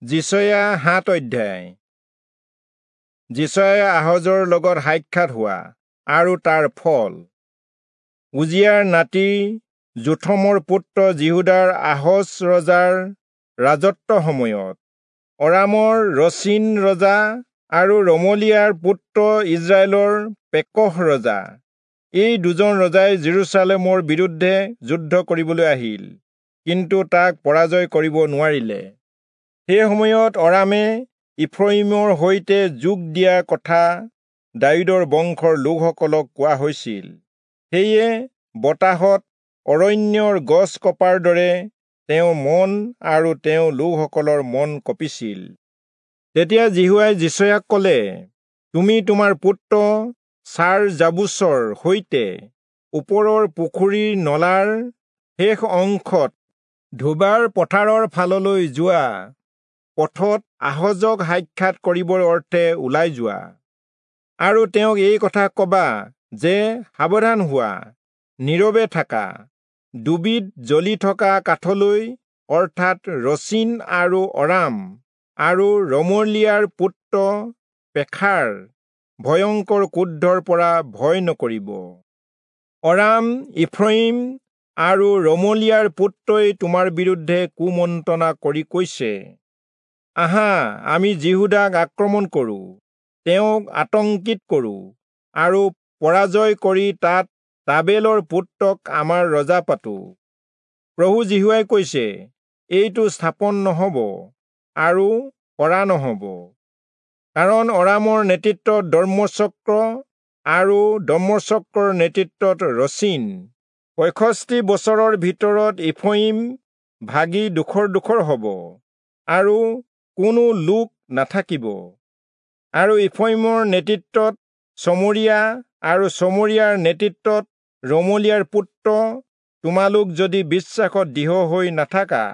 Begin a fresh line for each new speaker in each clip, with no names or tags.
যিচয়া 7 অধ্যায়। যিচয়া আহজৰ লগত সাক্ষাৎ হোৱা আৰু তাৰ ফল। উজিয়াৰ নাতি যোথমৰ পুত্ৰ যিহূদাৰ আহজ ৰজাৰ ৰাজত্ব সময়ত অৰামৰ ৰচীন ৰজা আৰু ৰমলিয়াৰ পুত্ৰ ইজৰাইলৰ পেকহ ৰজা, এই দুজন ৰজাই জেৰুচালেমৰ বিৰুদ্ধে যুদ্ধ কৰিবলৈ আহিল, কিন্তু তাক পৰাজয় কৰিব নোৱাৰিলে। সেই সময়ত অৰামে ইফ্ৰয়িমৰ সৈতে যোগ দিয়া কথা দায়ূদৰ বংশৰ লোকসকলক কোৱা হৈছিল। সেয়ে বতাহত অৰণ্যৰ গছ কপাৰ দৰে তেওঁ মন আৰু তেওঁ লোকসকলৰ মন কঁপিছিল। তেতিয়া যিহোৱাই যিচয়াক কলে, তুমি তোমাৰ পুত্ৰ চাৰ-যাবুচৰ সৈতে ওপৰৰ পুখুৰীৰ নলাৰ শেষ অংশত ধোবাৰ পথাৰৰ ফাললৈ যোৱা পথত আহজক সাক্ষাৎ কৰিবৰ অৰ্থে ওলাই যোৱা, আৰু তেওঁক এই কথা কবা যে, সাৱধান হোৱা, নীৰৱে থাকা, ডুবিত জ্বলি থকা কাঠলৈ, অৰ্থাৎ ৰচীন আৰু অৰাম আৰু ৰমলিয়াৰ পুত্ৰ পেখাৰ ভয়ংকৰ ক্ৰোধৰ পৰা ভয় নকৰিব। অৰাম, ইফ্ৰয়িম আৰু ৰমলিয়াৰ পুত্ৰই তোমাৰ বিৰুদ্ধে কুমন্ত্ৰণা কৰি কৈছে, আহা, আমি যিহূদাক আক্ৰমণ কৰোঁ, তেওঁক আতংকিত কৰোঁ আৰু পৰাজয় কৰি তাত তাবেলৰ পুত্ৰক আমাৰ ৰজা পাতোঁ। প্ৰভু যিহোৱাই কৈছে, এইটো স্থাপন নহব আৰু কৰা নহব, কাৰণ অৰামৰ নেতৃত্বত দম্মেচক আৰু দম্মেচকৰ নেতৃত্বত ৰচীন। 65 বছৰৰ ভিতৰত ইফ্ৰয়িম ভাগি ডোখৰ ডোখৰ হব আৰু কোনো লোক নাথাকিব। আৰু ইফ্ৰয়িমৰ নেতৃত্বত চমৰীয়া আৰু চমৰীয়াৰ নেতৃত্বত ৰমলিয়াৰ পুত্ৰ, তোমালোক যদি বিশ্বাসত দৃঢ় হৈ নাথাকা,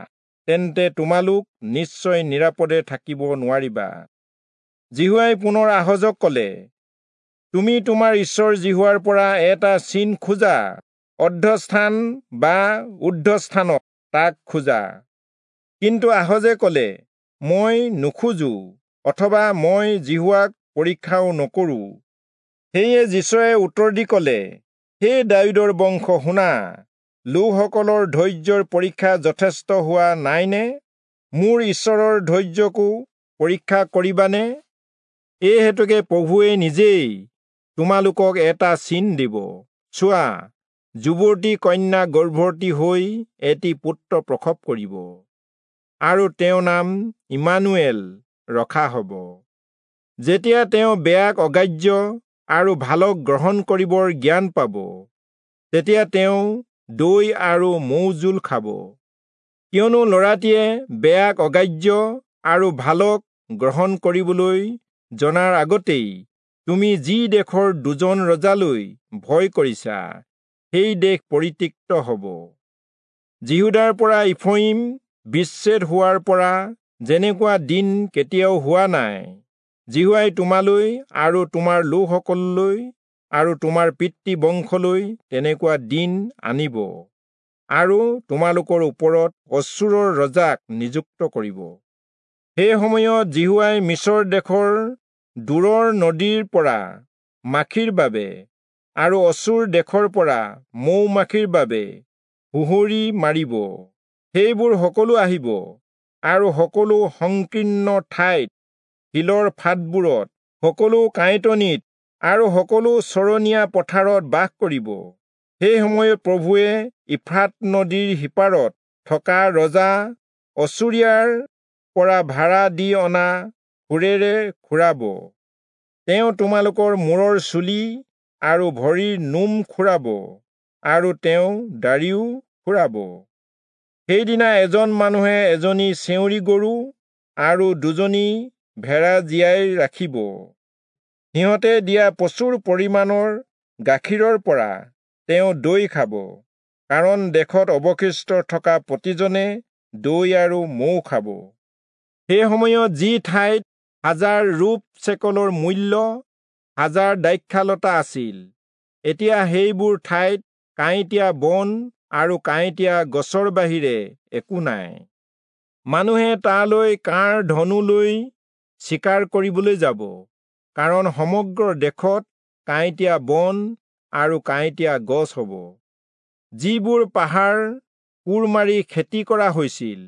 তেন্তে তোমালোক নিশ্চয় নিৰাপদে থাকিব নোৱাৰিবা। যিহোৱাই পুনৰ আহজক কলে, তুমি তোমাৰ ঈশ্বৰ যিহোৱাৰ পৰা এটা চিন খোজা, অৰ্ধস্থান বা ঊৰ্ধ্বস্থানত তাক খোজা। কিন্তু আহজে কলে, মই নোখোজো, অথবা মই যিহোৱাক পৰীক্ষাও নকৰোঁ। সেয়ে যিচয়াই উত্তৰ দি কলে, হে দায়ূদৰ বংশ, শুনা, লোকসকলৰ ধৈৰ্যৰ পৰীক্ষা যথেষ্ট হোৱা নাইনে? মোৰ ঈশ্বৰৰ ধৈৰ্যকো পৰীক্ষা কৰিবানে? এই হেতুকে প্ৰভুৱে নিজেই তোমালোকক এটা চিন দিব। চোৱা, যুৱতী কন্যা গৰ্ভৱতী হৈ এটি পুত্ৰ প্ৰসৱ কৰিব, আৰু তেওঁৰ নাম ইমানুৱেল ৰখা হব। যেতিয়া তেওঁ বেয়াক অগ্ৰাহ্য আৰু ভালক গ্ৰহণ কৰিবৰ জ্ঞান পাব, তেতিয়া তেওঁ দৈ আৰু মৌজোল খাব। কিয়নো ল'ৰাটিয়ে বেয়াক অগ্ৰাহ্য আৰু ভালক গ্ৰহণ কৰিবলৈ জনাৰ আগতেই তুমি যি দেশৰ দুজন ৰজালৈ ভয় কৰিছা, সেই দেশ পৰিত্যক্ত হব। যিহূদাৰ পৰা ইফ্ৰয়িম বিচ্ছেদ হোৱাৰ পৰা যেনেকুৱা দিন কেতিয়াও হোৱা নাই, যিহোৱাই তোমালৈ আৰু তোমাৰ লোকসকললৈ আৰু তোমাৰ পিতৃ বংশলৈ তেনেকুৱা দিন আনিব, আৰু তোমালোকৰ ওপৰত অচূৰৰ ৰজাক নিযুক্ত কৰিব। সেই সময়ত যিহোৱাই মিচৰ দেশৰ দূৰৰ নদীৰ পৰা মাখিৰ বাবে আৰু অচূৰ দেশৰ পৰা মৌ মাখিৰ বাবে হুঁহৰি মাৰিব। সেইবোৰ সকলো আহিব আৰু সকলো সংকীৰ্ণ ঠাইত, শিলৰ ফাটবোৰত, সকলো কাঁইটনিত আৰু সকলো চৰণীয়া পথাৰত বাস কৰিব। সেই সময়ত প্ৰভুৱে ইফ্ৰাত নদীৰ সিপাৰত থকা ৰজা অচূৰীয়াৰ পৰা ভাড়া দি অনা ক্ষুৰেৰে খুৰাব। তেওঁ তোমালোকৰ মূৰৰ চুলি আৰু ভৰিৰ নোম খুৰাব, আৰু তেওঁ দাড়িও খুৰাব। সেইদিনা এজন মানুহে এজনী চেউৰী গৰু আৰু দুজনী ভেড়া জীয়াই ৰাখিব। সিহঁতে দিয়া প্ৰচুৰ পৰিমাণৰ গাখীৰৰ পৰা তেওঁ দৈ খাব, কাৰণ দেশত অৱশিষ্ট থকা প্ৰতিজনে দৈ আৰু মৌ খাব। সেই সময়ত যি ঠাইত 1000 ৰূপ চেকলৰ মূল্য 1000 দ্ৰাক্ষালতা আছিল, এতিয়া সেইবোৰ ঠাইত কাঁইটীয়া বন আৰু কাঁইটীয়া গছৰ বাহিৰে একো নাই। মানুহে তালৈ কাঁড় ধনু লৈ চিকাৰ কৰিবলৈ যাব, কাৰণ সমগ্ৰ দেশত কাঁইটীয়া বন আৰু কাঁইটীয়া গছ হ'ব। যিবোৰ পাহাৰ কোৰ মাৰি খেতি কৰা হৈছিল,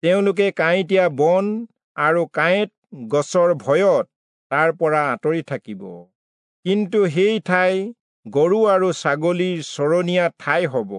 তেওঁলোকে কাঁইটীয়া বন আৰু কাঁইট গছৰ ভয়ত তাৰ পৰা আঁতৰি থাকিব। কিন্তু সেই ঠাই গৰু আৰু ছাগলীৰ চৰণীয়া ঠাই হ'ব।